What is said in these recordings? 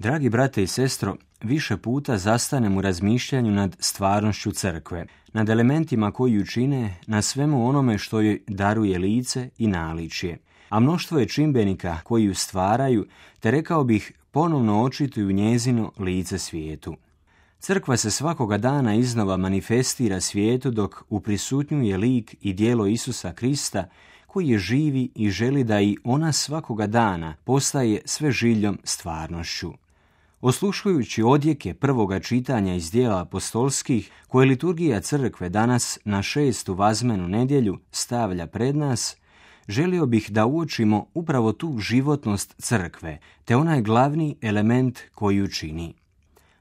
Dragi brate i sestro, više puta zastanem u razmišljanju nad stvarnošću crkve, nad elementima koji ju čine, na svemu onome što joj daruje lice i naličje. A mnoštvo je čimbenika koji ju stvaraju, te rekao bih ponovno očituju njezino lice svijetu. Crkva se svakoga dana iznova manifestira svijetu dok uprisutnjuje lik i djelo Isusa Krista, koji je živi i želi da i ona svakoga dana postaje sve žiljom stvarnošću. Osluškujući odjeke prvoga čitanja iz djela apostolskih, koje liturgija crkve danas na 6. vazmenu nedjelju stavlja pred nas, želio bih da uočimo upravo tu životnost crkve, te onaj glavni element koji ju čini.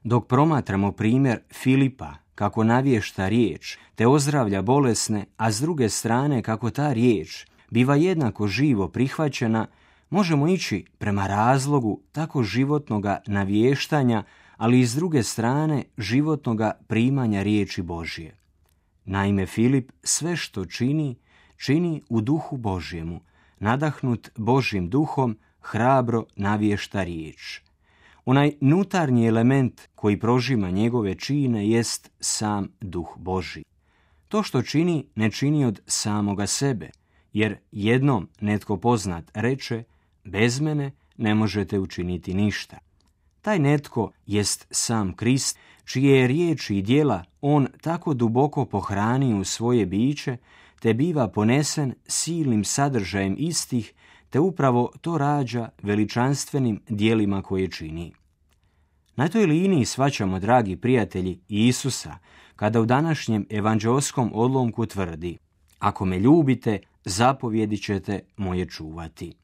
Dok promatramo primjer Filipa, kako navješta riječ, te ozdravlja bolesne, a s druge strane kako ta riječ biva jednako živo prihvaćena, možemo ići prema razlogu tako životnoga navještanja, ali i s druge strane životnoga primanja riječi Božje. Naime, Filip sve što čini u duhu Božjemu, nadahnut Božjim duhom, hrabro navješta riječ. Onaj unutarnji element koji prožima njegove čine jest sam duh Božji. To što čini, ne čini od samoga sebe, jer jednom netko poznat reče: bez mene ne možete učiniti ništa. Taj netko jest sam Krist, čije je riječi i djela on tako duboko pohranio u svoje biće, te biva ponesen silnim sadržajem istih, te upravo to rađa veličanstvenim djelima koje čini. Na toj liniji shvaćamo, dragi prijatelji, Isusa, kada u današnjem evanđeoskom odlomku tvrdi: ako me ljubite, zapovjedi ćete moje čuvati.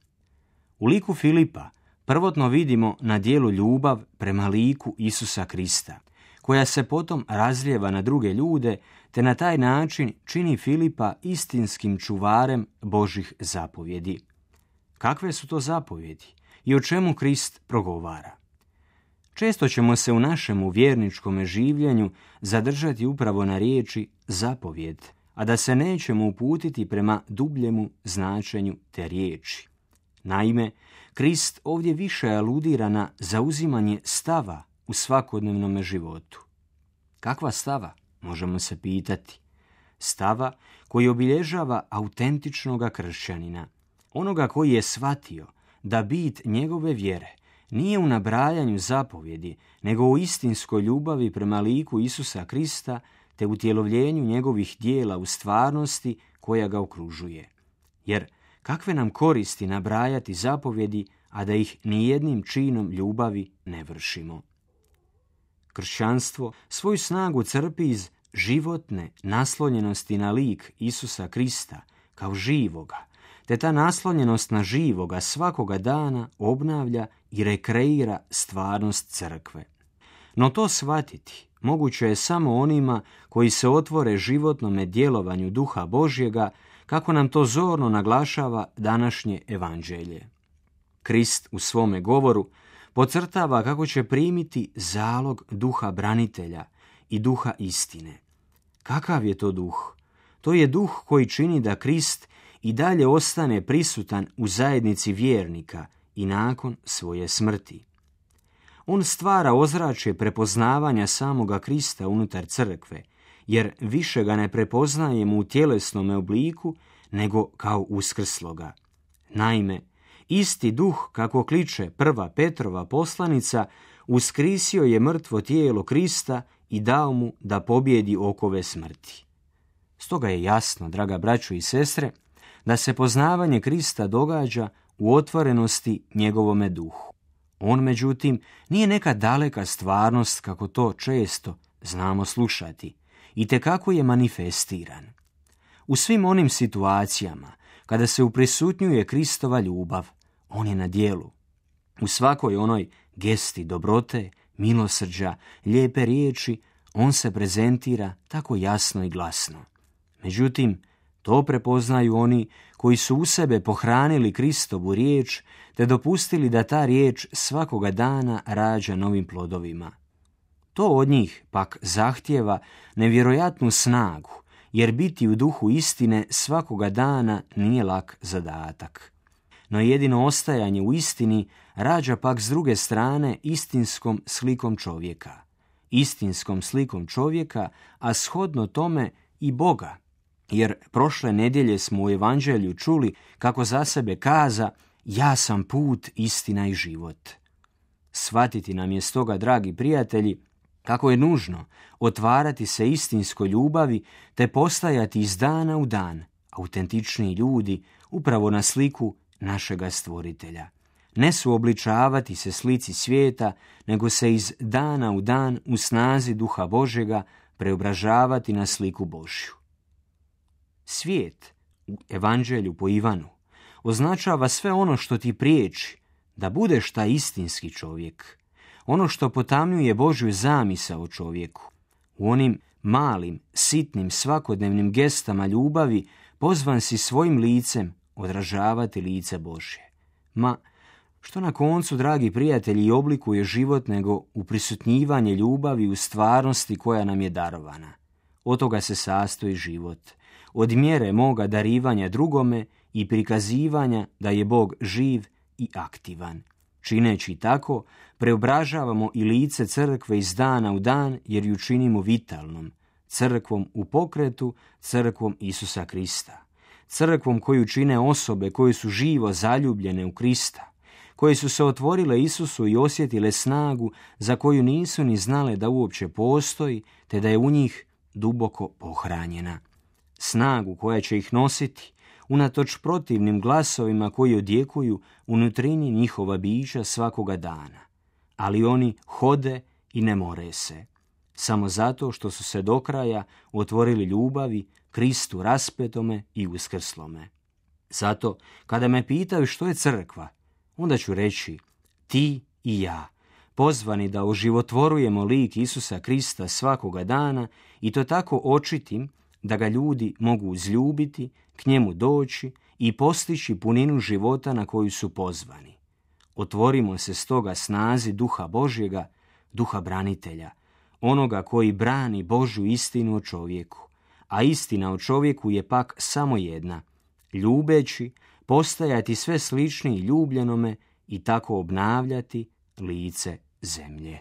U liku Filipa prvotno vidimo na djelu ljubav prema liku Isusa Krista, koja se potom razlijeva na druge ljude, te na taj način čini Filipa istinskim čuvarem Božih zapovjedi. Kakve su to zapovjedi i o čemu Krist progovara? Često ćemo se u našemu vjerničkom življenju zadržati upravo na riječi zapovjed, a da se nećemo uputiti prema dubljemu značenju te riječi. Naime, Krist ovdje više aludira na zauzimanje stava u svakodnevnom životu. Kakva stava, možemo se pitati? Stava koji obilježava autentičnoga kršćanina, onoga koji je shvatio da bit njegove vjere nije u nabrajanju zapovjedi, nego u istinskoj ljubavi prema liku Isusa Krista, te utjelovljenju njegovih djela u stvarnosti koja ga okružuje. Jer kakve nam koristi nabrajati zapovjedi, a da ih nijednim činom ljubavi ne vršimo? Kršćanstvo svoju snagu crpi iz životne naslonjenosti na lik Isusa Krista kao živoga, te ta naslonjenost na živoga svakoga dana obnavlja i rekreira stvarnost crkve. No to shvatiti moguće je samo onima koji se otvore životnome djelovanju Duha Božjega, kako nam to zorno naglašava današnje evanđelje. Krist u svome govoru podcrtava kako će primiti zalog duha branitelja i duha istine. Kakav je to duh? To je duh koji čini da Krist i dalje ostane prisutan u zajednici vjernika i nakon svoje smrti. On stvara ozračje prepoznavanja samoga Krista unutar crkve, jer više ga ne prepoznajemo u tjelesnome obliku, nego kao uskrsloga. Naime, isti duh, kako kliče prva Petrova poslanica, uskrisio je mrtvo tijelo Krista i dao mu da pobjedi okove smrti. Stoga je jasno, draga braćo i sestre, da se poznavanje Krista događa u otvorenosti njegovome duhu. On, međutim, nije neka daleka stvarnost, kako to često znamo slušati, i tekako je manifestiran. U svim onim situacijama kada se uprisutnjuje Kristova ljubav, on je na djelu. U svakoj onoj gesti dobrote, milosrđa, lijepe riječi, on se prezentira tako jasno i glasno. Međutim, to prepoznaju oni koji su u sebe pohranili Kristovu riječ, te dopustili da ta riječ svakoga dana rađa novim plodovima. To od njih pak zahtijeva nevjerojatnu snagu, jer biti u duhu istine svakoga dana nije lak zadatak. no jedino ostajanje u istini rađa pak s druge strane istinskom slikom čovjeka. Istinskom slikom čovjeka, a shodno tome i Boga. Jer prošle nedjelje smo u Evanđelju čuli kako za sebe kaza: ja sam put, istina i život. Shvatiti nam je stoga, dragi prijatelji, kako je nužno otvarati se istinskoj ljubavi te postajati iz dana u dan autentičniji ljudi upravo na sliku našega Stvoritelja. Ne suobličavati se slici svijeta, nego se iz dana u dan u snazi Duha Božjega preobražavati na sliku Božju. Svijet u Evanđelju po Ivanu označava sve ono što ti priječi da budeš taj istinski čovjek, ono što potamnjuje Božju zamisao o čovjeku. U onim malim, sitnim, svakodnevnim gestama ljubavi pozvan si svojim licem odražavati lice Božje. Ma, što na koncu, dragi prijatelji, oblikuje život nego uprisutnjivanje ljubavi u stvarnosti koja nam je darovana. Od toga se sastoji život. Od mjere moga darivanja drugome i prikazivanja da je Bog živ i aktivan. Čineći tako, preobražavamo i lice crkve iz dana u dan, jer ju činimo vitalnom, crkvom u pokretu, crkvom Isusa Krista. Crkvom koju čine osobe koje su živo zaljubljene u Krista, koje su se otvorile Isusu i osjetile snagu za koju nisu ni znale da uopće postoji, te da je u njih duboko pohranjena. Snagu koja će ih nositi, unatoč protivnim glasovima koji odjekuju u nutrini njihova bića svakoga dana. Ali oni hode i ne more se. Samo zato što su se do kraja otvorili ljubavi Kristu raspetome i uskrslome. Zato, kada me pitaju što je crkva, onda ću reći: ti i ja, pozvani da oživotvorujemo lik Isusa Krista svakoga dana i to tako očitim da ga ljudi mogu uzljubiti, k njemu doći i postići puninu života na koju su pozvani. Otvorimo se stoga snazi Duha Božjega, Duha branitelja, onoga koji brani Božju istinu o čovjeku, a istina o čovjeku je pak samo jedna: ljubeći, postajati sve sličniji ljubljenome i tako obnavljati lice zemlje.